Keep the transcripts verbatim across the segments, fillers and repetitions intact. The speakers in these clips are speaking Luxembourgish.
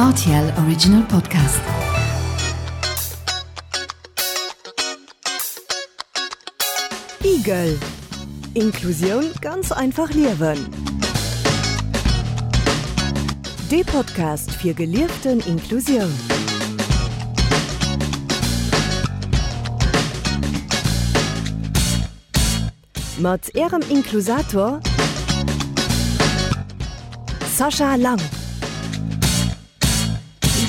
R T L Original Podcast. Igel. Inklusioun ganz einfach liewen. De Podcast fir gelieften Inklusioun. Mat Ärem Inklusator Sascha Lang.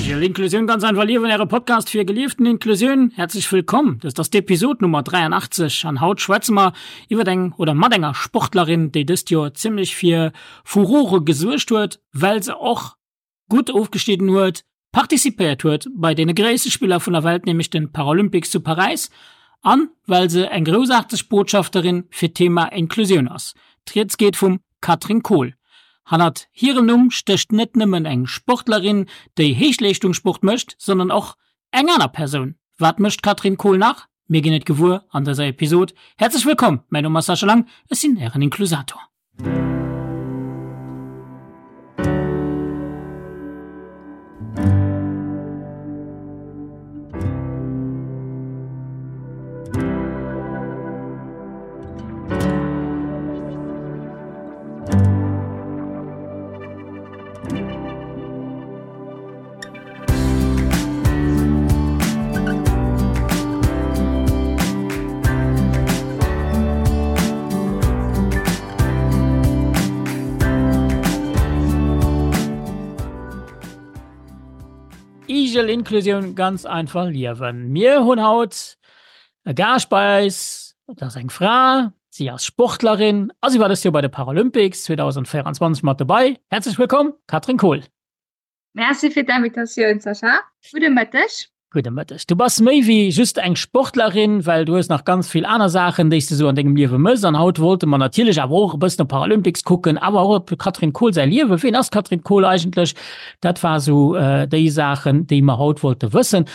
Igel, Inklusioun ganz einfach liewen, äre Podcast fir gelieften Inklusioun. Häerzlech wëllkomm. Dëst ass d'Episod Nummer dräianachtzeg an haut schwätze mer iwwer eng oder mat enger Sportlerin, déi dëst Joer zimmlech fir Furore gesuergt huet, well se och gutt ofgeschnidden huet, participéiert huet bei deene gréisste Spiller vun der Welt, nämlech den Paralympics zu Paräis, an well se eng groussaarteg Botschafterin fir d'Thema Inklusioun ass. D'Rieds geet vum Katrin Kohl. Hannert hirem Numm stécht net nëmmen eng Sportlerin, déi Héichleeschtungssport mécht, sondern och eng aner Persoun. Wat mécht d'Katrin Kohl nach? Mir ginn et gewuer an dëser Episod. Häerzlech wëllkomm, mäin Numm ass Sascha Lang, ech sinn ären Inklusator. Igel Inklusioun ganz einfach liewen. Mir hunn haut e Gaascht bei eis, dat ass eng Fra, si ass Sportlerin a si war dëst Joer bei de Paralympics zweedausendvéieranzwanzeg mat dobäi. Häerzlech wëllkomm, Katrin Kohl. Merci fir d'Invitatioun, Sascha. Gudde Mëtteg. Gudde Mëtteg. Du bass méi wéi just eng Sportlerin, well du hues nach ganz vill aner Saachen, déi s de sou an dengem Liewe mëss. An haut wollte mer natierlech awer och e bëssen op Paralympics kucken, awer och op Katrin Kohl säi Liewen. Ween ass d'Katrin Kohl eigentlech? Dat war sou déi Saachen, déi mer haut wollte wëssen.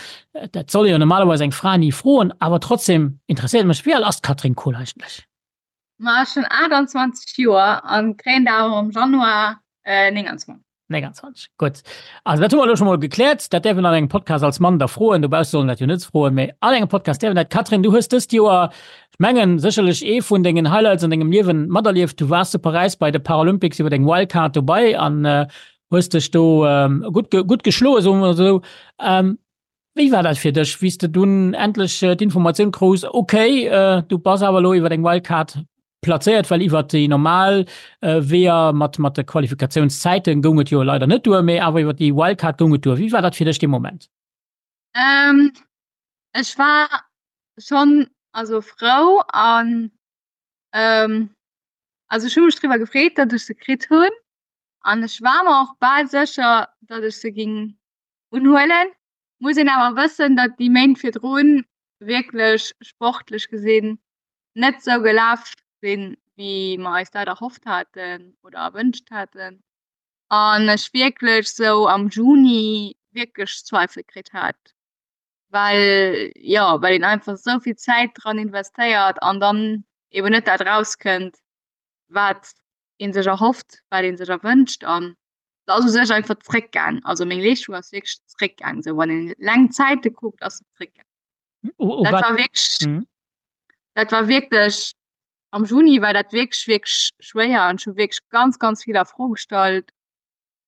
Dat soll ee jo normalerweis eng Fra ni froen, awer trotzdem interesséiert mech, wéi al ass d'Katrin Kohl eigentlech? Ma ech hunn aachtanzwanzeg Joer an kréien der awer am Januar nénganzwanzeg. nénganzwanzeg, gutt. Also dat hu mer elo scho mol gekläert. Dat däerf een an engem Podcast als Mann da froen. Dobausse sollen dat jo net froen, mee an engem Podcast däerf een dat. Catherine, du hues dëst Joer, ech mengen, sécherlech ee vun dengen Highlights an dengem Liewen materlieft. Du waars zu Paräis bei de Paralympics iwwer deng Wildcard dobei an hues dech do gutt, gutt geschloen, soe mer esou. Wéi war dat fir dech, wéi s de dunn endlech d'Informatioun krus, ok, du bass awer elo iwwer eng Wildcard plazéiert, well iwwer déi normal Weeër mat mat de Qualifikatiounszäite goung et jo leider net duer, mee awer iwwer déi Wildcard goung et duer. Wéi war dat fir dech dee Moment? Ech war schonn also frou an also ech hu mech driwwer gefreet, datt ech se kritt hunn an ech war mer och bal sécher, datt ech se géing unhuelen. Muss een awer wëssen, datt déi Méint virdrun wierklech sportlech gesinn net sou gelaf sinn, wéi mer eis dat erhofft haten oder erwënscht haten. An ech wierklech sou am Juni wierklech Zweifel kritt hat, well jo, well een einfach sou vill Zäit dran investéiert an dann eben net dat rauskënnt, wat ee sech erhofft, wat ee sech erwënscht. An et ass u sech einfach zréckgaang. Also meng Leeschtung ass wierklech zréckgaang. Sou wann een laang Zäite kuckt, ass se zréckgaang. Dat war wierklech, mhm. dat war wierklech am Juni war dat wierklech wierklech schwéier an ech hu wierklech ganz ganz vill a Fro gestallt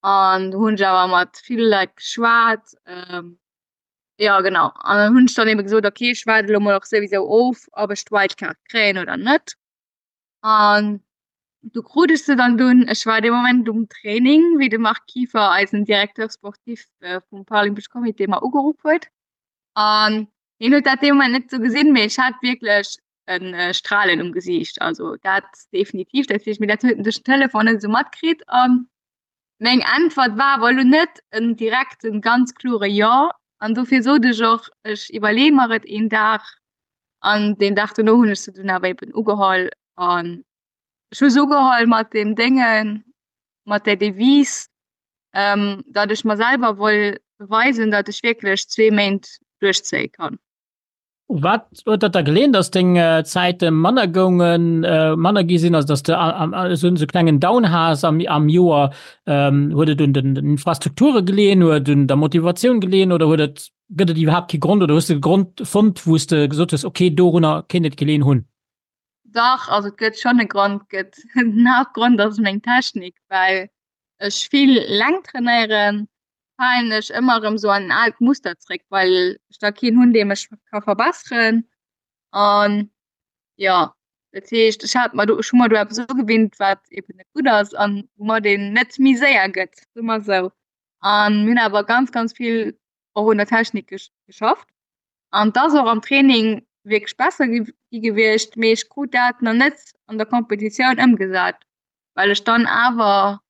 an do hunn ech awer mat ville Leit geschwat. Ähm, ja genau an dann hunn ech dann eben gesot, okay, ech waarde lo mol och souwisou of, ob ech d'Wildcard kréien oder net. An du krut ech se dann dunn. Ech war dee Moment um Training, wéi de Marc Kieffer, eisen Directeur sportif vum Paralympesch Comité, mer ugeruff huet. An hien huet dat dee Moment net sou gesinn, mee ech hat wierklech e Stralen um Gesiicht. Also dat definitiv, dat heescht, mee dat huet en duerch den Telefon net esou matkritt. An meng Äntwert war awer elo net en direkten, ganz klore Jo. An dofir sot ech och, ech iwwerleeë mer et een Dag. An deen Dag dono hunn ech se dunn awer eben ugeholl. An ech hu se ugeholl mat deem Déngen, mat där Devise, ähm, datt ech mer selwer woll beweisen, datt ech wierklech zwee Méint duerchzéie kann. Wat huet dat da geleeën, dass deng Zäite manner goungen, manner gi sinn, also dass de esou e klengen Down has am am Joer? Huet et un den Infrastrukture geleeën, huet et un der Motivatioun geleeën oder huet et, gëtt et iwwerhaapt kee Grond oder hues de e Grond fonnt, wou s de gesot hues, okay, dorunner kéint et geleeën hunn? Dach, also et gëtt schonn e Grond. Gëtt den Haaptgrond ass meng Technik, well ech vill Längt trainéieren, falen ech ëmmer erëm sou an en aalt Muster zréck, well ech da keen hunn, dee mech ka verbesseren. An jo, dat heescht, ech hat mer do, ech hu mer do eppes ugewinnt, wat eben net gutt ass an woumat een net méi séier gëtt, soe mer esou. An mir hunn awer ganz, ganz vill och un der Technik geschafft. An et ass och am Training wierklech besser gi gewiescht, mee ech krut dat nach net an der Competitioun ëmgesat, well ech dann awer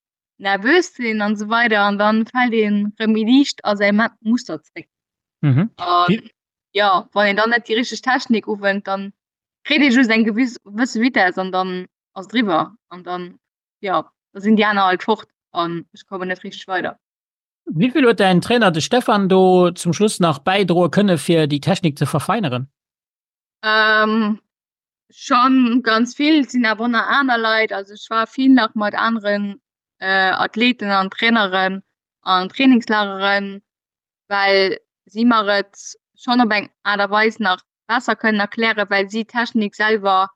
nervös sinn an esou weider an dann fält een rëm méi liicht a säi Muster zréck. Mhm. An ja, wann een dann net déi richteg Technik uwent, dann kritt ee just eng gewësse Vitess an dann ass et eriwwer an dann ja, da sinn déi aner halt fort an ech kommen net richteg weider. Wéi vill huet däin Trainer, de Stefan, do zum Schluss nach bäidroe kënne fir déi Technik ze verfeineren? Ähm, schon ganz vill sinn awer nach aner Leit. Also ech war vill nach mat aneren äh, Athleten an Traineren an Trainingslageren, well si mer et schon op eng Aart a Weis nach besser kënnen erklären, well si d'Technik selwer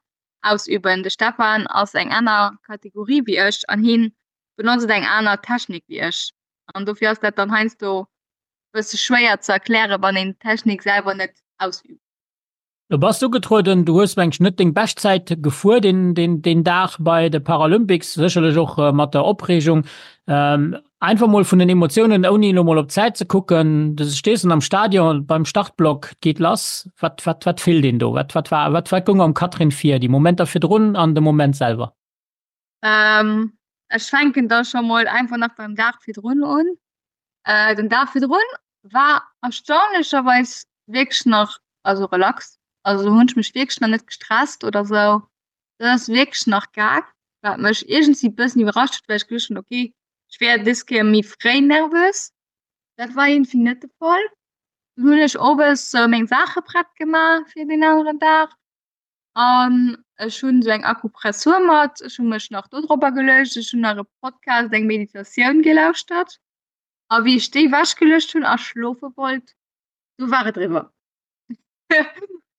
ausüben. De Stefan ass eng aner Kategorie wéi ech an hien benotzt eng aner Technik wéi ech. An dofir ass dat dann heiansdo bësse schwéier ze erklären, wann een d'Technik selwer net ausübt. Du bass ugetrueden, du hues mengen ech net deng Beschtzäit gefuer deen deen deen Dag bei de Paralympics, sécherlech och mat der Opreegung. Einfach mol vun den Emotiounen, ouni elo mol op d'Zäit ze kucken, du stees dann am Stadion beim Startblock, et geet lass, wat wat wat fillt een do? Wat wat war wat wat goung am Catherine vir, déi Momenter virdrun an de Moment selwer? Ech fänken da scho mol einfach nach beim Dag virdrun un. Den Dag virdrun war erstaunlecherweis wierklech nach also relax. Also do hunn ech mech wierklech nach net gestresst oder sou. Dat ass wierklech nach gaang, wat mech iergendwéi bëssen iwwerrascht huet, well ech geduecht hunn, okay, ech wär dës Kéier méi fréi nervös. Dat war iergendwéi net de Fall. Dunn hunn ech owes sou meng Saache prett gemaach fir deen aneren Dag an ech hunn sou eng Akupressur mat. Ech hu mech nach do dropper geluecht. Ech hunn nach e Podcast, eng Meditatioun gelauschtert a wéi ech déi ewechgeluecht hunn a schlofe wollt, du war et eriwwer.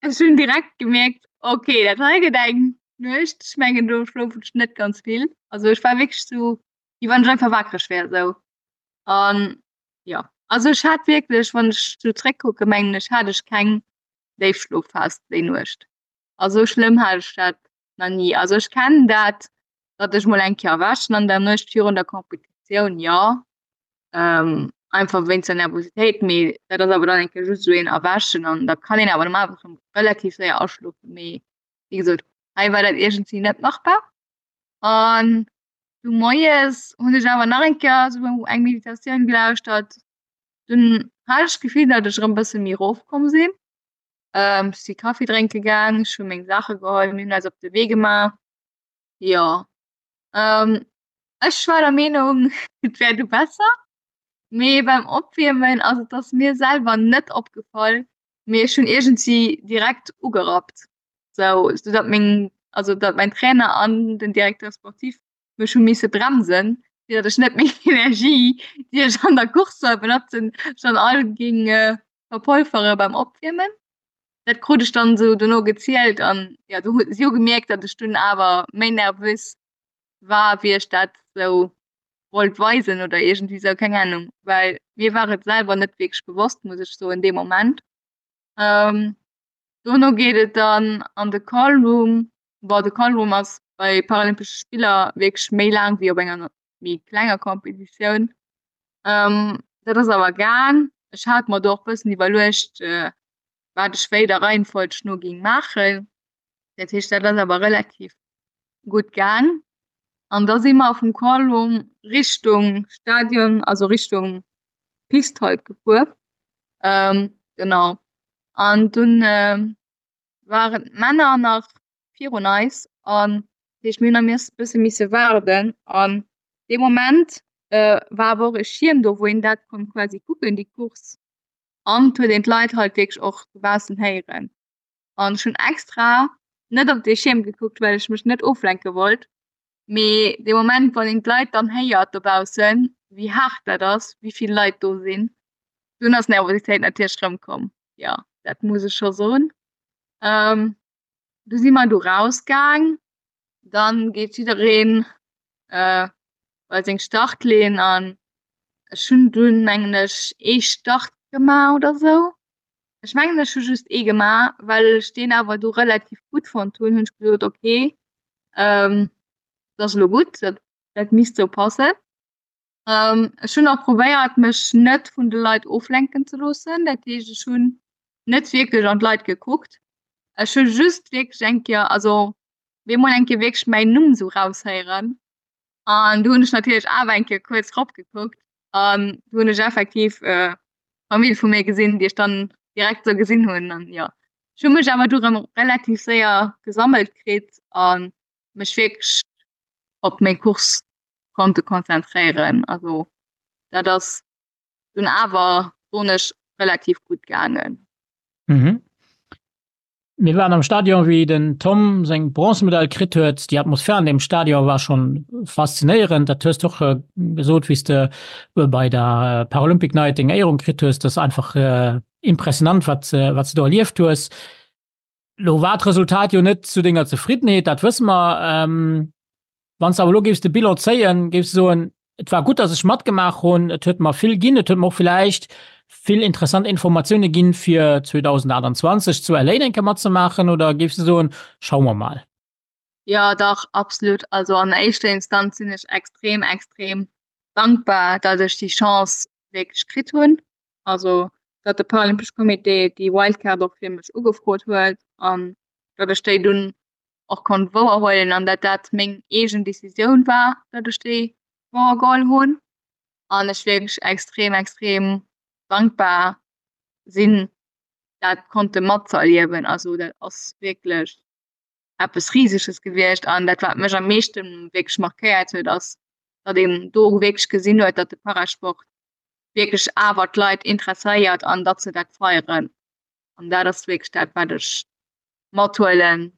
Ech hunn direkt gemierkt, okay, dat hei gëtt eng Nuecht. Ech mengen do schlofen ech net ganz vill. Also ech war wierklech sou, wéi wann ech einfach wakereg wär esou. An jo, also ech hat wierklech, wann ech sou zréckkucken, mengen ech hat ech keng Déifschlofphas déi Nuecht. Also sou schlëmm hat ech dat nach ni. Also ech kennen dat, datt ech mol eng Kéier erwächen an der Nuecht virun der Competitioun, jo. ähm, einfach wéinst der Nervositéit, mee dat ass awer dann eng Kéier just esou een Erwächen an da kann een awer normalerweis rëm relativ séier aschlofen, mee wéi gesot, hei war dat iergendwéi net machbar. An du moies hunn ech awer nach eng Kéier esou eng Meditatioun gelauschtert, dunn hat ech d'Gefill, datt ech erëm e bësse méi erofkomm sinn. Ähm, ech si Kaffi drénke gaang, ech hu meng Saache geholl, mir hunn eis op de Wee gemaach, jo. Ähm, ech war der Meenung, et wär du besser, mee beim Opwiermen, also et ass mir selwer net opgefall, mee ech hunn iergendwéi direkt ugerappt, sou sou datt meng, also datt mäin Trainer an den Directeur sportif mech hu misse bremsen, fir datt ech net meng Energie, déi ech an der Course soll benotzen, schonn all géing verpolfere beim Opwiermen. Dat krut ech dann sou dono gezielt an jo, du si hu gemierkt, datt ech dunn awer méi nervös war, wéi ech dat sou wollt weisen oder iergendwéi sou, keng Ahnung, well mir war et selwer net wierklech bewosst, muss ech soen, dee Moment. Ähm, dono geet et dann an de Callroom. Bon, de Callroom ass bei Paralympesche Spiller wierklech méi laang wéi op enger méi klenger Competitioun. Ähm, dat ass awer gaang. Ech hat mer do och bëssen iwwerluecht, äh, wat ech wéi der Reihenfolg no géing maachen. Dat heescht, dat ass awer relativ gutt gaang. An da si mer vum Callroom Richtung Stadion, also Richtung Pist halt gefuer. Ähm, genau. An dunn äh, waren d'Männer nach virun eis an dat heescht mir hunn nach e bësse misse waarden. An dee Moment äh, war awer och e Schierm do, wou een dat konnt quasi kucken, déi Course. An et huet een d'Leit halt wierklech och dobaussen héieren. An ech hunn extra net op dee Schierm gekuckt, well ech mech net oflenke wollt. Mee dee Moment, wann een d'Leit dann héiert dobaussen, wéi haart dat ass, wéi vill Leit do sinn, dunn ass d'Nervositéit natierlech erëmkomm. Jo, dat muss ech scho soen. Du si mer du rausgaang, dann geet jiddereen bei seng Startlinn an ech hunn dunn mengen ech ee Start gemaach oder sou. Ech mengen ech hu just ee gemaach, well ech deen awer du relativ gutt fonnt hunn, hunn ech gesot okay, dat ass elo gutt, dat dat misst sou passen. Ech hunn och probéiert mech net vun de Leit oflenken ze loossen, dat heescht ech hunn net wierklech an d'Leit gekuckt. Ech hu just wierklech eng Kéier, also bemol eng Kéier wierklech mäin Numm sou raushéieren an du hunn ech natierlech awer eng Kéier kuerz rop gekuckt an du hunn ech effektiv d'Famill vu mir gesinn, déi ech dann direkt sou gesinn hunn an jo. Ech hu mech awer du rëm relativ séier gesammelt kritt a mech wierklech op meng Course konnte konzentréieren. Also dat ass dunn awer, soen ech, relativ gutt gaangen. Mhm. Mir waren am Stadion, wéi den Tom seng Bronzemedail kritt huet. Déi Atmosphär an deem Stadion war schonn faszinéierend. Dat hues de och gesot, wéi s de bei der Paralympic Night deng Éierung kritt hues. Dat ass einfach impressionant, wat wat s de do erlieft hues. Lo war d'Resultat jo net zu denger Zefriddenheet, dat wësse mer. Wann s de awer elo géifs de Bilan zéien, géifs de soen, et war gutt, datt ech matgemaach hunn, et huet mer vill ginn, et huet mer och villäicht vill interessant Informatioune ginn, fir zweedausendaachtanzwanzeg zu L A eng Kéier matzemaachen, oder géifs de soen, schaue mer mal? Jo, dach, absolut. Also an éischter Instanz sinn ech extrem, extrem dankbar, datt ech déi Chance wierklech kritt hunn. Also datt de Paralympesche Comité déi Wildcard och fir mech ugefrot huet an datt ech déi dunn och konnt wouerhuelen an datt dat meng eegen Decisioun war, datt ech déi wouergeholl hunn. An ech wierklech extrem, extrem dankbar sinn, dat konnte matzëerliewen. Also dat ass wierklech eppes Riseges gewiescht. An dat, wat mech am meeschte wierklech markéiert huet, ass, datt een do wierklech gesinn huet, datt de Parasport wierklech awer d'Leit interesséiert an datt se dat feieren. An dat ass wierklech dat, wat ech mathuelen.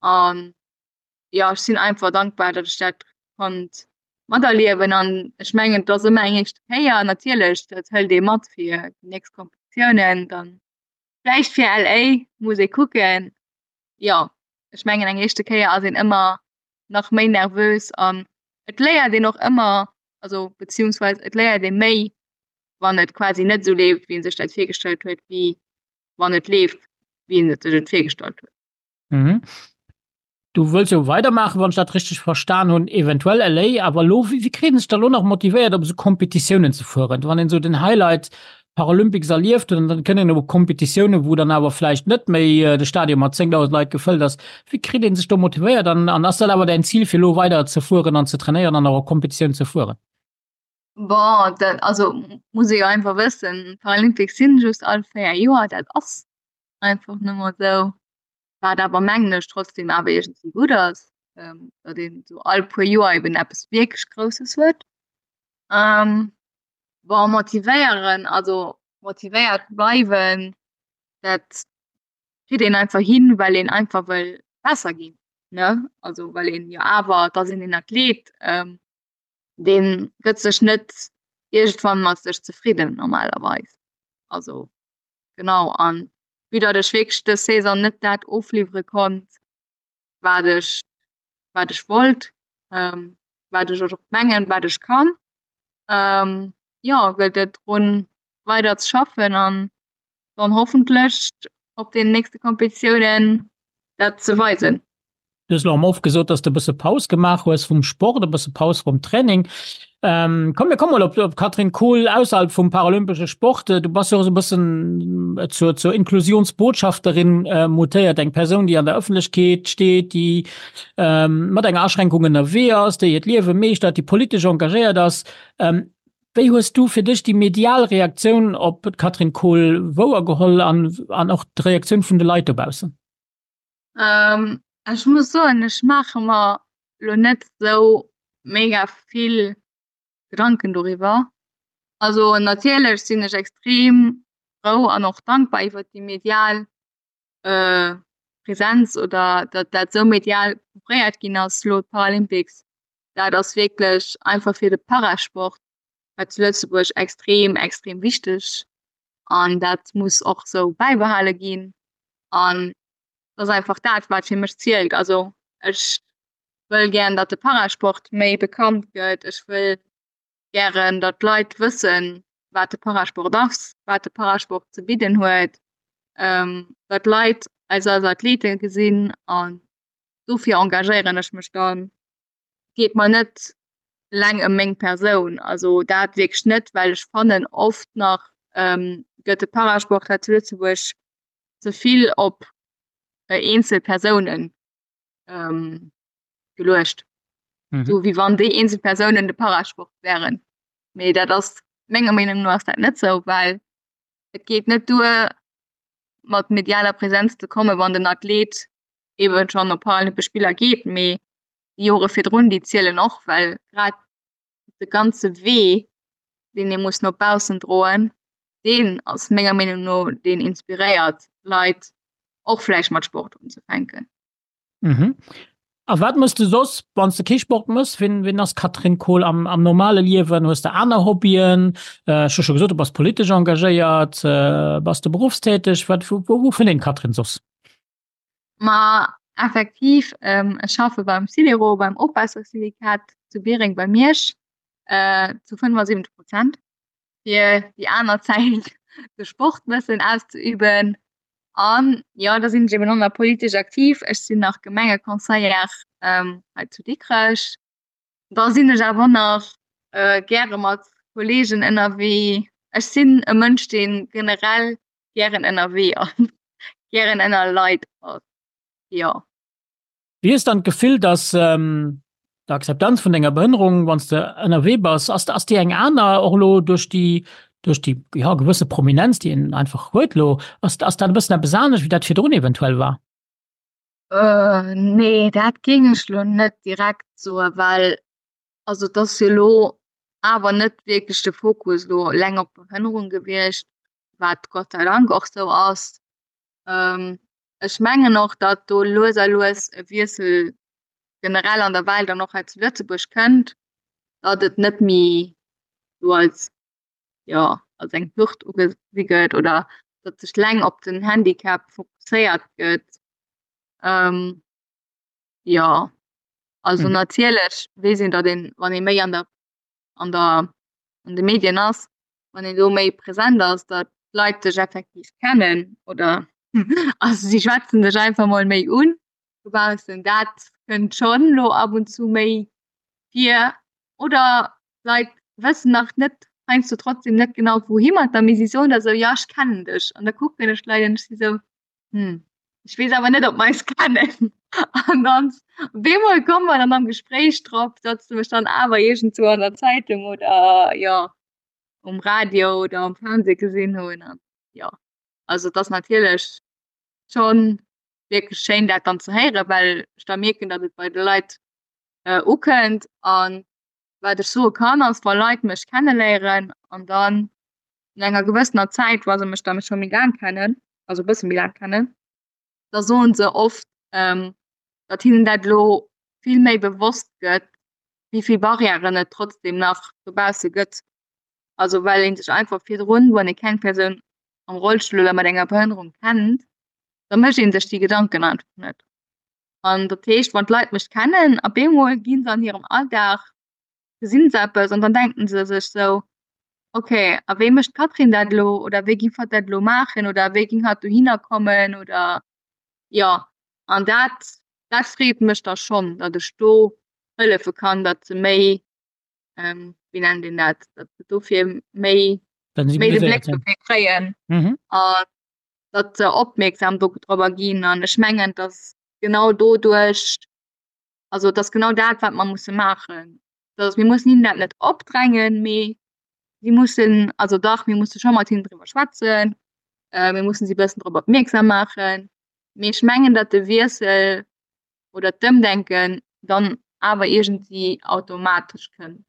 An jo, ech sinn einfach dankbar, datt ech dat konnt materliewen. An ech mengen, et ass ëmmer eng éischt Kéier. Natierlech, dat hëlt ee mat fir déi nächst Kompetitiounen, dann vläicht fir L A, muss ee kucken. Jo, ech mengen, eng éischte Kéier ass een ëmmer nach méi nervös an et léiert een och ëmmer, also beziehungsweise et léiert ee méi, wann et quasi net esou leeft, wéi ee sech dat virgestallt huet, wéi wann et leeft, wéi een et sech et virgestallt huet. Mhm. Du wëlls jo weidermaachen, wann ech dat richteg verstan hunn, eventuell L A, awer elo, wéi kritt een sech da elo nach motivéiert, op esou Kompetitiounen ze fueren? Wann een esou den Highlight Paralympics erlieft huet an dann kënnt een op Kompetitiounen, wou dann awer vläicht net méi de Stadion mat zéngdausend Leit gefëllt ass, wéi kritt een sech do motivéiert an an ass dat awer däin Zil, fir elo weider ze fueren an ze trainéieren an och op Kompetitiounen ze fueren? Bon, dat, also muss ee jo einfach wëssen, d'Paralympics sinn just all véier Joer, dat ass einfach nëmmer esou. Wat awer mengen ech trotzdem awer iergendwéi gutt ass, datt een esou all puer Joer eben eppes wierklech Grousses huet. Bon, motivéieren, also motivéiert bleiwen, dat kritt een einfach hin, well een einfach wëll besser ginn, ne? Also well een jo awer, et ass een een Athlet, dee gëtt sech net iergendwann mat sech zefridden normalerweis. Also genau, an vue datt ech wierklech dës Saison net dat ofliwwere konnt, wat ech, wat ech wollt, wat ech och mengen, wat ech kann, jo, gëllt et drun, weider ze schaffen an dann hoffentlech op den nächste Kompetitiounen dat ze weisen. Du hues elo am Off gesot, dass de e bësse Paus gemaach hues vum Sport, e bësse Paus vum Training. Ähm, komm, mir komme mol op, op Katrin Kohl ausserhalb vum paralympesche Sport. Du bass jo och esou e bëssen zur, zur Inklusionsbotschafterin äh, mutéiert, eng Persoun, déi an der Ëffentlechkeet steet, déi ähm, mat enger Aschränkung ënnerwee ass, déi hiert Liewe meeschtert, déi politesch engagéiert ass. Ähm, wéi hues du fir dech déi medial Reaktioun op d'Katrin Kohl wouergeholl an, an och d'Reaktioun vun de Leit dobaussen? Ähm, ech muss soen, ech maache mer lo net sou mega vill Gedanken doriwwer. Also natierlech sinn ech extrem frou an och dankbar iwwer déi medial äh, Präsenz oder datt dat sou medial couvréiert ginn ass lo d'Paralympics, dat ass wierklech einfach fir de Parasport hei zu Lëtzebuerg extrem extrem wichteg an dat muss och sou bäibehale ginn an dat ass einfach dat wat fir mech zielt. Also ech wëll gären, datt de Parasport méi bekannt gëtt, ech wëll gären, datt d'Leit wëssen, wat de Parasport ass, wat de Parasport ze bidden huet, datt d'Leit eis als Athlete gesinn an dofir engagéieren ech mech dann. Et geet mer net eleng ëm meng Persoun, also dat wierklech net, well ech fannen oft nach gëtt de Parasport hei zu Lëtzebuerg ze vill op eenzel Persounen geluecht. Mhm. So wéi wann déi eenzel Persounen de Parasport wären. Mee dat ass menger Meenung no ass dat net sou, well et geet net duer mat medialer Präsenz ze kommen, wann den Athlet eben schon op Paralympesch Spiller geet, mee déi Jore virdrun déi zielen och, well grad de ganze Wee, deen ee muss no baussen droen, deen ass menger Meenung no deen inspiréiert Leit och vläicht mat Sport unzefänken. Mhm. A wat mëss de soss, wann s de kee Sport mëss? Wien, wien ass d'Catherine Kohl am, am normale Liewen? Hues de aner Hobbyen? Ech hu scho gesot, du bass politesch engagéiert. Bass de beruffstäteg? Wat, wou, wou fënnt een d'Catherine soss? Ma effektiv, ech schaffe beim Sidero, beim Ofwaassersyndikat zu Biereng bei Miersch, zu fënnefasiwwenzeg Prozent, fir déi aner Zäit de Sport bëssen auszeüben. An jo, da sinn ech eben och nach politesch aktiv. Ech sinn nach Gemengeconseillère hei zu Dikrech. Da sinn ech awer och nach gäre mat Kolleegen ënnerwee. Ech sinn e Mënsch, dee generell gären ënnerwee ass, gären ënner Leit ass, jo. Wéi hues dann d'Gefill, dass d'Akzeptanz vun denger Behënnerung, wann s de ënnerwee bass, ass ass déi eng aner och elo duerch déi duerch déi jo gewësse Prominenz, déi een einfach huet elo, ass ass dat e bëssen eppes anescht, wéi dat virdrun eventuell war? Nee, dat géing ech elo net direkt soen, well also et ass jo elo awer net wierklech de Fokus elo eleng op d'Behënnerung gewiescht, wat Gott sei Dank och sou ass. Ech mengen och, datt do lues a lues e Wiessel generell an der Welt an och hei zu Lëtzebuerg kënnt, datt et net méi sou als, jo, als eng Hürd ugesi gëtt oder datt sech leng op den Handicap fokusséiert gëtt. Jo, also natierlech weess een, datt een, wann ee méi an der an der an de Medien ass, wann een do méi present ass, datt d'Leit dech effektiv kennen oder also si schwätzen dech einfach mol méi un dobaussen. Dat kënnt schonn lo ab und zu méi vir. Oder d'Leit wëssen nach net heiansdo trotzdem net genau wouhi mat der, mee si soen da sou, jo ech kennen dech. An da kucken ech d'Leit an ech si sou, hm, ech weess awer net, ob mer eis kennen. An dann op eemol komme mer dann am Gespréich drop, datt se mech dann awer iergendzwou an der Zeitung oder jo um Radio oder am Fernseh gesinn hunn. An jo, also et ass natierlech schonn wierklech schéin, dat dann ze héieren, well ech da mierken, datt et bei de Leit ukënnt. An wat ech soe kann, ass, wa Leit mech kenneléieren an dann no enger gewëssener Zäit, wa se mech da scho méi laang kennen, also e bësse méi laang kennen, da soen se oft, datt hinnen dat elo vill méi bewosst gëtt, wéi vill Barrièren et trotzdeem nach dobausse gëtt. Also well ee sech einfach virdrun, wann ee keng Persoun am Rollstull oder mat enger Behënnerung kennt, da mécht ee sech déi Gedanken einfach net. An dat heescht, wann d'Leit mech kennen, op eemol gi se an hirem Alldag, gesinn se eppes an dann denken se sech sou, okay, a wéi mécht d'Catherine dat elo oder wéi géif hatt dat elo maachen oder wéi géing hatt dohinner kommen oder jo. An dat, dat freet mech da schonn, datt ech do hëllefe kann, datt se méi, wéi nennt een dat, datt se dofir méi, méi de Bléck dofir kréien an datt se opmierksam dorobber ginn. An ech mengen, datt genau doduerch, also et ass genau dat, wat mer musse maachen, dass mir mussen hinnen dat net opdrängen, mee si mussen, also dach, mir musse scho mat hinnen driwwer schwätzen, mir mussen si e bëssen drop opmierksam maachen, mee ech mengen, datt de Wiessel oder d'Ëmdenken dann awer iergendwéi automatesch kënnt.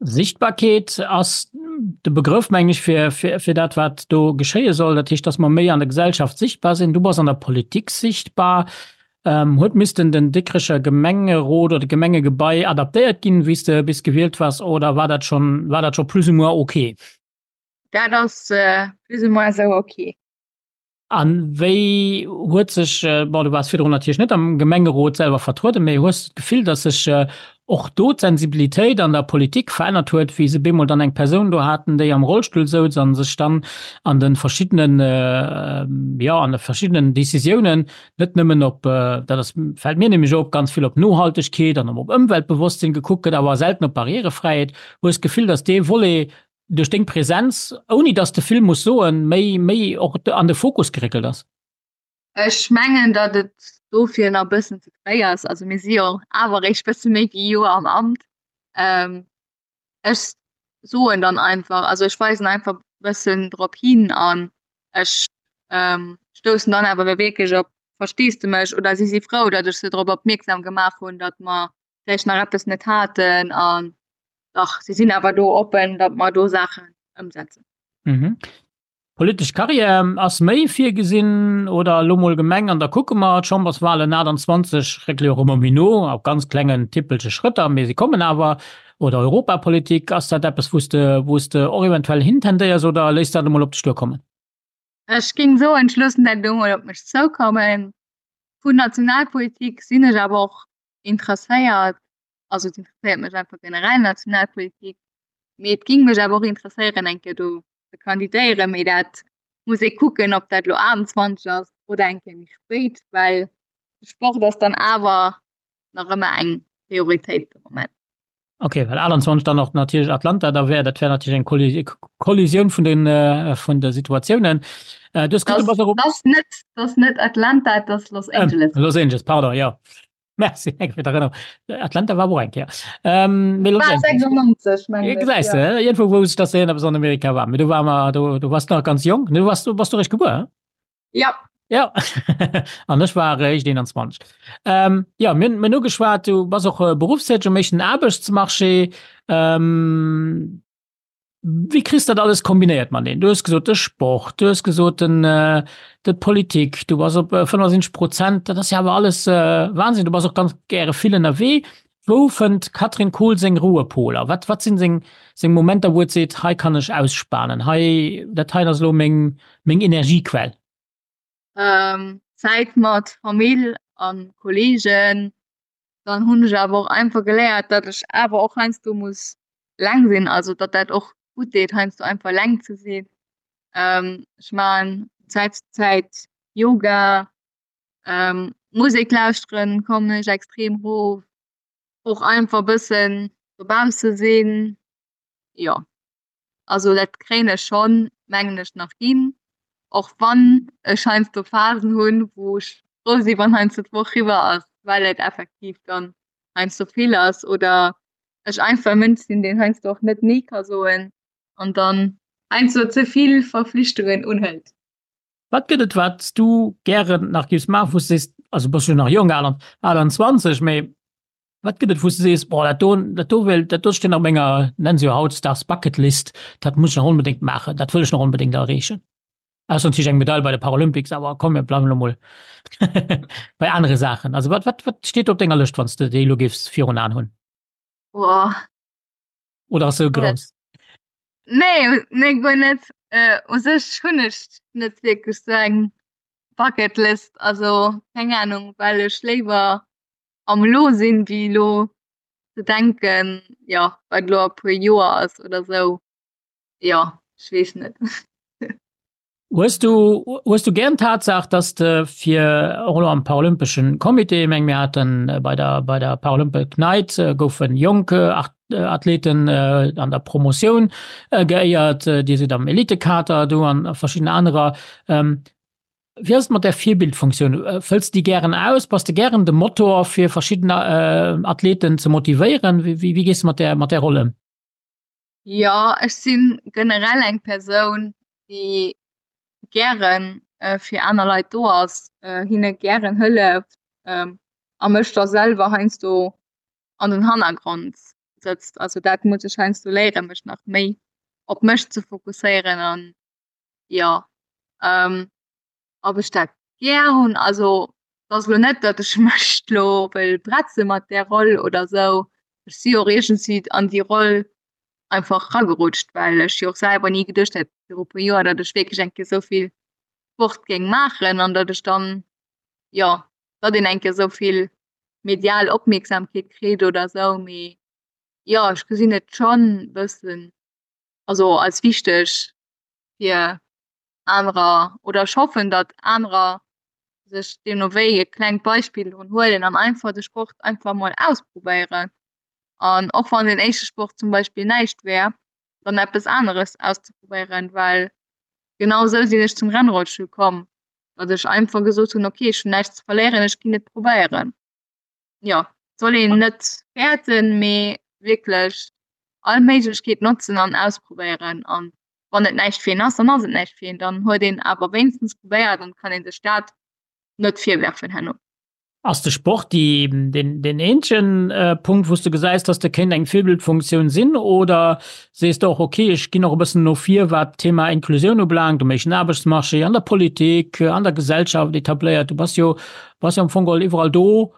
Sichtbarkeet ass de Begrëff, mengen ech, fir, fir, fir dat, wat do geschéie soll. Dat heescht, dass mer méi an der Gesellschaft sichtbar sinn. Du bass an der Politik sichtbar. Ähm, huet missten den Dikrecher Gemengerot oder Gemengegebai adaptéiert ginn, wéi s de bis gewielt waars, oder war dat schon, war dat scho plus ou moins ok? Dat ass äh, plus ou moins esou ok. A wéi huet sech, bon du waars virdrun natierlech net am Gemengerot selwer vertrueden, mee hues de d'Gefill, datt sech och do d'Sensibilitéit an der Politik verännert huet, wéi se bemol dann eng Persoun do haten, déi am Rollstull souz a sech dann an de verschiddenen, jo an de verschiddenen Décisiounen net nëmmen op, dat ass, fält mir nämlech op, ganz vill op Nohaltegkeet an op Ëmweltbewosstsinn gekuckt gëtt, awer selten op Barrièrefräiheet. Hues d'Gefill, datt dee Volet duerch deng Präsenz, ouni dass de vill muss soen, méi, méi och an de Fokus geréckelt ass? Ech mengen, datt et dofir nach e bëssen ze fréi ass. Also mir si jo awer eréischt bësse méi wéi e Joer am Amt. Ech soen dann einfach, also ech weisen einfach bëssen drop hin an ech stoussen dann awer wierklech op Versteesdemech oder si si frou, datt ech se drop opmierksam gemaach hunn, datt mer vläicht nach eppes net haten an dach si sinn awer do oppen, datt mer do Saachen ëmsetzen. Mhm. Politesch Karriär ass méi virgesinn oder elo mol Gemeng an da kucke mer. D'Chamberswalen achtundzwanzeg réckele jo och ëmmer méi no, op ganz klengen tippelche Schrëtter, mee se kommen awer. Oder Europapolitik, ass dat eppes wou s de, wou s de och eventuell hintendéiers oder léiss dat emol op dech duerkommen? Ech géing soen, ech loossen dat elo mol op mech zoukommen. Vu Nationalpolitik sinn ech awer och interesséiert, also et interesséiert mech einfach generell Nationalpolitik, mee et ging mech awer och interesséieren eng Kéier do ze kandidéieren, mee dat muss ee kucken, ob dat elo achtundzwanzeg ass oder eng Kéier méi spéit, well de Sport ass dann awer nach ëmmer eng Prioritéit de Moment. Ok, well achtundzwanzeg dann och natierlech Atlanta da wär, dat wär natierlech eng Kollisioun vun den, vun de Situatiounen. Du hues gesot, du bass och. Dat ass net, dat ass net Atlanta, dat ass Los Angeles. Los Angeles, pardon, jo. Merci eng fir d'Erënnerung. Atlanta war och eng Kéier. Ähm, mee Los War Angeles. sechsundneunzeg, mengen ech, Gesäis ja. de, iergendwou wousst ech, dass de eppes an Amerika war. Mee do war mer, do, do warst du nach ganz jonk. Du warst, du bass do eréischt gebuer, hä? Ja. Ja. An ech war eréischt eenanzwanzeg. Ähm, ja, mir hunn, mir hunn ugeschwat, du bass och beruffstäteg um éischten Aarbechtsmarché. Ähm, Wéi kriss dat alles kombinéiert mateneen? Du hues gesot de Sport, du hues gesot den d'Politik, du bass op fënnefundsiwwenzeg Prozent, dat ass jo awer alles Wahnsinn. Du bass och ganz gäre vill ënnerwee. Wou fënnt d'Catherine Kohl seng Ruhepoler? Wat wat sinn seng seng Momenter, wou et seet, hei kann ech ausspanen, hei dat heien ass elo meng meng Energiequell? Zäit mat Famill a Kolleegen. Dann hunn ech awer och einfach geléiert, datt ech awer och heiansdo muss leng sinn, also datt dat och gutt deet, heiansdo einfach leng ze sinn. Ech maachen Zäit zu Zäit Yoga, Musek lauschteren, kommen ech extrem erof, och einfach e bëssen dobausse sinn, jo. Also dat kréien ech schonn, mengen ech, nach hin, och wann ech heiansdo Phasen hunn, wou ech frou sinn, wann heiansdo d'Woch riwwer ass, well et effektiv dann heiansdo vill ass oder ech einfach e Mënsch sinn, deen heiansdo och net Nee ka soen an dann heiansdo ze vill Verflichtungen unhëlt. Wat gëtt et, wat s du gären nach géifs maachen, wou s du sees, also bass jo nach jonk, achtundzwanzeg, mee wat gëtt et, wou s du sees, boah, dat do, dat do wéilt, dat do steet op menger, nennen se jo hautdesdaags Bucket List, dat muss ech nach onbedéngt maachen, dat wëll ech nach onbedéngt erreechen? Ausser natierlech eng Medail bei de Paralympics, awer komm, mir bleiwen elo mol bei anere Saachen. Also wat, wat, wat steet do op denger Lëscht, wann s de déi elo géifs virun Aen hunn? Boah. Oder ass se grouss? Nee, nee, guer net. Äh, u sech hunn ech net wierklech sou eng Bucketlist, also keng Ahnung, well ech léiwer am Elo sinn, wéi elo ze denken, jo, wat elo a puer Joer ass oder sou. Jo, ech weess net. Hues du, hues du gären d'Tatsaach, dass de fir och elo am Paralympeschen Comité, ech meng mir haten bei der, bei der Paralympic Night goufe jonk Athleten an der Promotioun geéiert, Dir sidd am Elitekader do an verschidden anerer. Wéi ass et mat där Virbildfunktioun? Fëlls de déi gären aus? Bass de gären de Motor fir verschidden Athleten ze motivéieren? Wéi, wéi gees de mat där, mat där Roll ëm? Jo, ech si generell eng Persoun, déi gären fir aner Leit do ass, hinne gären hëlleft a mech da selwer heiansdo an den Hannergrond sëtzt. Also dat muss ech heiansdo léieren, mech nach méi op mech ze fokusséieren an jo ähm, ob ech dat gär hunn, also et ass elo net, datt ech mech lo wëll bretze mat där Roll oder sou. Ech si och iergendwéi an déi Roll einfach ragerutscht, well ech jo och selwer ni geduecht hätt viru puer Joer, datt ech wierklech eng Kéier esou vill Sport géing maachen an datt ech dann, jo, datt een eng Kéier esou vill medial Opmierksamkeet kritt oder sou. Mee jo, ech gesinn et schonn bëssen, also als wichteg fir anerer oder ech hoffen, datt anerer sech deemno wéi e klengt Beispill drun huelen an einfach de Sport einfach mol ausprobéieren. An och wann den éischte Sport zum Beispill näischt wär, dann eppes aneres auszeprobéieren, well genau esou sinn ech zum Rennrollstull komm, datt ech einfach gesot hunn, okay, ech hunn näischt ze verléieren, ech ginn et probéieren. Jo, et soll een net fäerten, mee wierklech all Méiglechkeet notzen an ausprobéieren. An wann et näischt fir een ass, dann ass et näischt fir een, dann huet een awer wéinstens probéiert an kann ee sech dat net virwerfen herno. Ass de Sport déi, deen, deen eenzegen Punkt, wou s de gesäis, dass de kéint eng Virbildfunktioun sinn, oder sees de och, okay, ech ginn och e bëssen no vir, wat d'Thema Inklusioun ubelaangt, um éischten Aarbechtsmarché, an der Politik, an der Gesellschaft etabléiert? Du bass jo, bass jo am Fong geholl iwwerall do,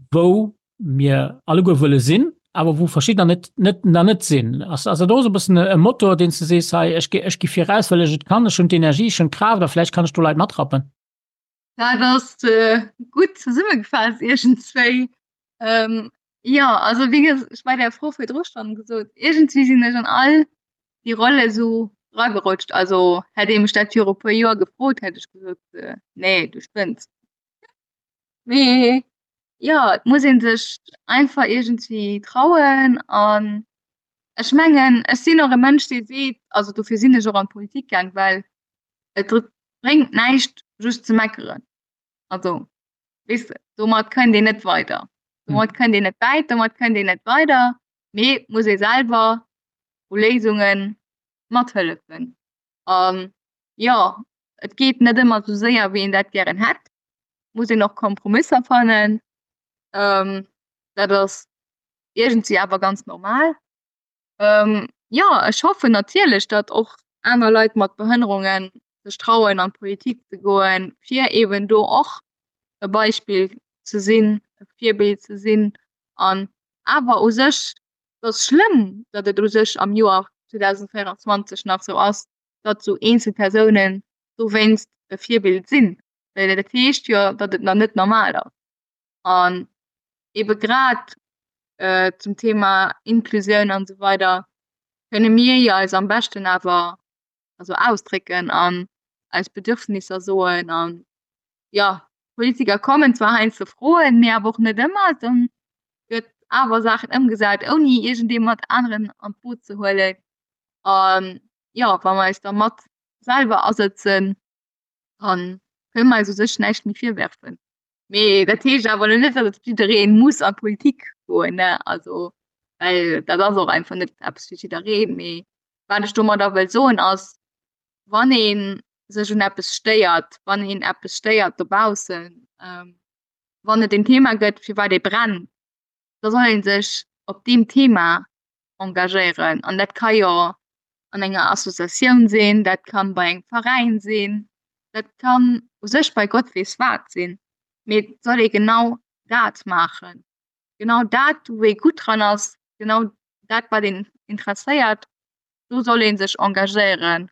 wou mir alleguer wëlle sinn, awer wou verschiddener net, net, nach net sinn. Ass, ass dat och esou e bëssen e Motor, deen s de sees, hei, ech gi, ech gi viraus, well ech et kann, ech hunn d'Energie, ech hunn d'Kraaft a vläicht kann ech do Leit matrappen? Dat ass gutt zesummegefaasst iergendzwéi. Jo, also wéi gesot, ech bei der Fro virdru schonn gesot, iergendswéi sinn ech an all déi Rolle sou ragerutscht. Also hätt ee mech dat viru e puer Joer gefrot, hätt ech gesot, nee, du spënns. Mee jo, et muss ee sech einfach iergendswéi trauen an ech mengen, ech sinn och e Mënsch, dee seet, also dofir sinn ech och an d'Politik gaang, well et bréngt näischt just ze meckeren. Also weess de, domat kënnt een net weider. Domat kënnt een net wäit, domat kënnt een net weider, mee et muss ee selwer u Léisunge mathëllefen. An jo, et geet net ëmmer esou séier, wéi een dat gären hätt. Muss een och Kompromisser fannen. Dat ass iergendwéi awer ganz normal. Jo, ech hoffen natierlech, datt och aner Leit mat Behënnerunge sech trauen an d'Politik ze goen, fir eeben do och e Beispill ze sinn, e Virbild ze sinn. An awer u sech, et ass schlëmm, datt et u sech am Joer zweedausendvéierenzwanzeg nach esou ass, datt esou eenzel Persounen dowéinst e Virbild sinn, well dat heescht jo, datt et nach net normal ass. An ebe grad zum Thema Inklusioun an esou weider kënne mir jo eis am beschten awer also ausdrécken an eis Bedürfnisser soen. An jo, d'Politiker kommen zwar heiansdo froen, mee awer och net ëmmer. Dann gëtt awer Saachen ëmgesat, ouni iergendee mat aneren an d'Boot ze huelen. An jo, wa mer eis da mat selwer asëtzen, dann kënne mer eis u sech näischt méi virwerfen. Mee dat heescht awer elo net, datt jidderee muss an d'Politik goen, ne? Also, well dat ass och einfach net eppes fir jiddereen. Mee wat ech domadder wëll soen ass, wann ee sech un eppes stéiert, wann een eppes stéiert dobaussen, wann et en Thema gëtt, fir wat ee brennt, da soll ee sech op deem Thema engagéieren. An dat ka jo an enger Associatioun sinn, dat kann bei engem Veräin sinn, dat kann u sech bei Gott weess wat sinn, mee et soll ee genau dat maachen, genau dat wou ee gutt dran ass, genau dat wat een interesséiert, do soll ee sech engagéieren.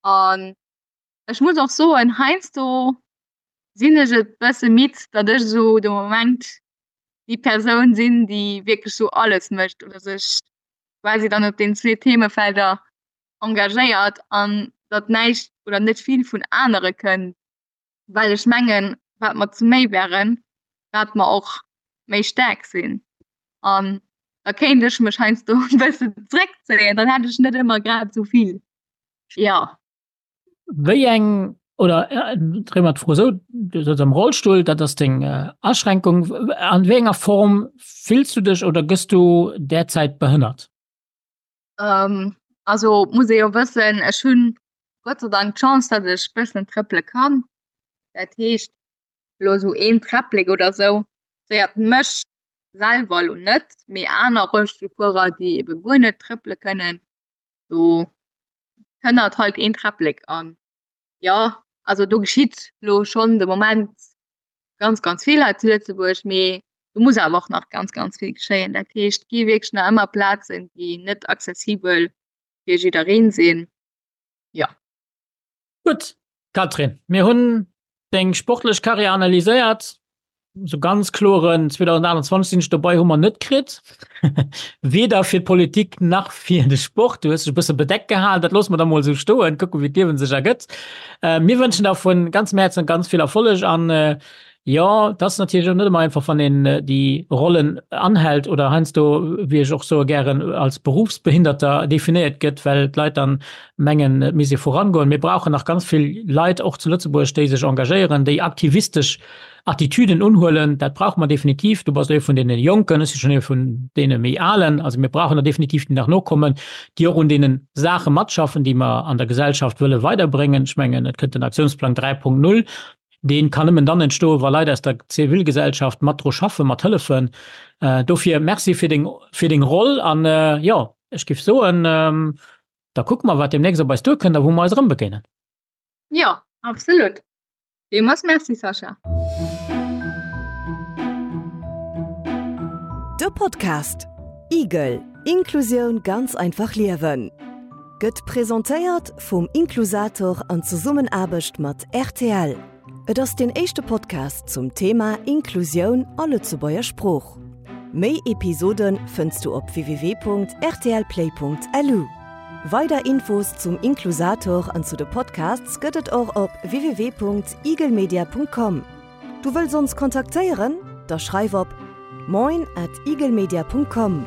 An ech muss och soen, heiansdo sinn ech et bësse midd, datt ech esou de Moment déi Persoun sinn, déi wierklech esou alles mécht oder sech quasi dann op den zwee Themefelder engagéiert an datt näischt oder net vill vun anere kënnt, well ech mengen, wat mer zu méi wären, wat mer och méi staark sinn. An da kéint ech mech heiansdo e bëssen zréckzéien, dann hätt ech net ëmmer grad esou vill. Jo. Wéi eng, oder dréi mer d'Fro esou, du sëtz am Rollstull, dat ass deng Aschränkung. An wéi enger Form fills du dech oder gëss du derzäit behënnert? Also muss ee jo wëssen, ech hunn Gott sei Dank d'Chance, datt ech bëssen trëppele kann. Dat heescht, elo esou een Träpplek oder esou stéiert mech selwer elo net, mee aner Rollstullfuerer, déi ebe guer net trëppele kënnen, do kënnert halt een Träpplek an jo, also do geschitt lo schonn de Moment ganz ganz vill hei zu Lëtzebuerg, mee do muss awer och nach ganz ganz vill geschéien. Dat heescht, et gi wierklech nach ëmmer Plazen, déi net accessibel fir jiddereen sinn, jo. Gutt, Catherine, mir hunn deng sportlech Karriär analyséiert. Sou ganz kloren zweedausendaachtundzwanzeg sinn ech dobei hu mer net kritt. Weder fir d'Politik nach fir de Sport. Du hues dech e bësse bedeckt gehalen. Dat loosse mer da mol esou stoen. Kucke wéi d'Liewen sech ergëtt. Mir wënschen der vu ganzem Häerzen ganz vill Erfolleg an jo, et ass natierlech och net ëmmer einfach, wann een déi Rollen anhält oder heiansdo, wéi ech och soe gären, als Berufsbehinderter definéiert gëtt, well d'Leit dann mengen, et misst ee vorangoen. Mir brauchen nach ganz vill Leit, och zu Lëtzebuerg, déi sech engagéieren, déi aktivistesch Attitüden unhuelen. Dat brauche mer definitiv. Du bass ee vun deene Jonken, ech si schonn ee vun deene méi Alen. Also mir brauchen der definitiv, déi nach nokommen, déi och un deene Saache matschaffen, déi mer an der Gesellschaft wëlle weiderbréngen. Ech mengen, et kënnt den Aktiounsplang dräi Punkt null. Dee kann nëmmen dann entstoen, wa Leit aus der Zivilgesellschaft mat dru schaffen, mat hëllefen. Dofir Merci fir deng, fir deng Roll. An, jo, ech géif soen, da kucke mer, wat deemnächst op eis duerkënnt a wou mer eis erëmbegéinen. Jo, absolut. Villmools Merci, Sascha. De Podcast Igel, Inklusioun ganz einfach liewen gëtt presentéiert vum Inklusator an Zesummenaarbecht mat rtl. Et ass deen éischte Podcast zum Thema Inklusioun a Lëtzebuerger Sprooch. Méi Episode fënns du op www.rtlplay.lu. Weider Infos zum Inklusator an zu de Podcasts gëtt et och op www.igelmedia.com. Du wëlls ons kontaktéieren? Da schreif op moin at igelmedia.com.